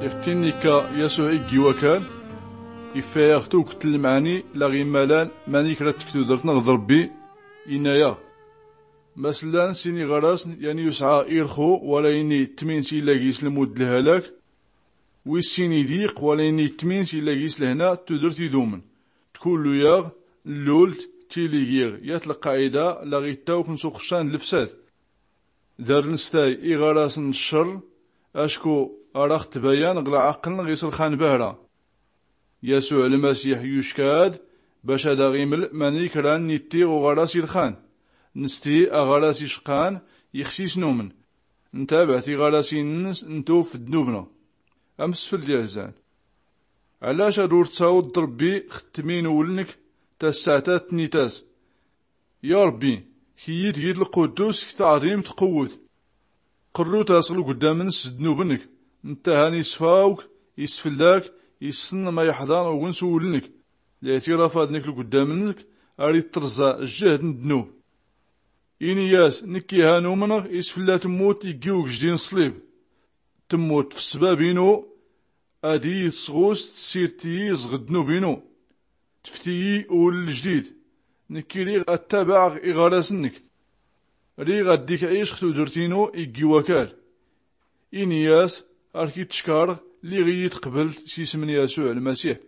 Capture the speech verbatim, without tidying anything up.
Iɣ-t-in-ikka yasuɛ iggi wakal, iffa-yaɣ tugt n-lmɛani laɣ-immalan manikra-t deg tudert-nneɣ d-rbbi. Inna-yaɣ, masllan sin iɣarasn, yan yusɛa irxu wala ini ttmin s-illa gis lmud d-lhalak, wis sin idiq wala ini ttmin s-illa gis lhna d-tudert idumen. Tkullu-yaɣ nlul-t tili giɣ yat lqaɛida laɣ-ittawkn s-uxccan d-lfsad. Dar-nstay iɣarasn n-ccer, acku ar-aɣ-tbayan ɣ-lɛaql-nnɣ iṣlxan bahra. Yasuɛ lmasiḥ yucka-d bac ad-aɣ-iml manikra n-ittiɣ uɣaras ilxan. Nsti aɣaras icqan, ixs-is numn, ntabaɛ tiɣarasin-ns, ntuf ddnub-nnɣ. Amsfld iɛzzan, ɛlac ad-ur-tsawḍ d-rbbi xttmin uwlnk? Tassaɛta tnnit-as, ya rbbi, kiyyi-d gid lquddus g-taɛḍimt tqwwt. Qrrut-as ɣ-lgddam-ns s-ddnub-nnk. Nttahan isfawk, isfllak, issn ma iḥḍan ugens uwlnk. Liɛtirafa-dnk lgddam-nnk ar-ittrẓa jjhd n-ddnub. Ini-yas, nkki han umnɣ isflla tmmut iggi ugjdin ṣṣlib. Tmmut f-ssbab-inu, ad-iyi-tsɣus tssirt-iyi zɣ-ddnub-inu. Tft-iyi uwll ljdid. Nkki riɣ ad-tabaɛɣ iɣaras-nnk. Riɣ ad-dik-ɛic x-tudrt-inu iggi wakal. Ini-yas, ar-k-ittckarɣ liɣ-iyi-tqblt s-ism n-yasuɛ lmasiḥ.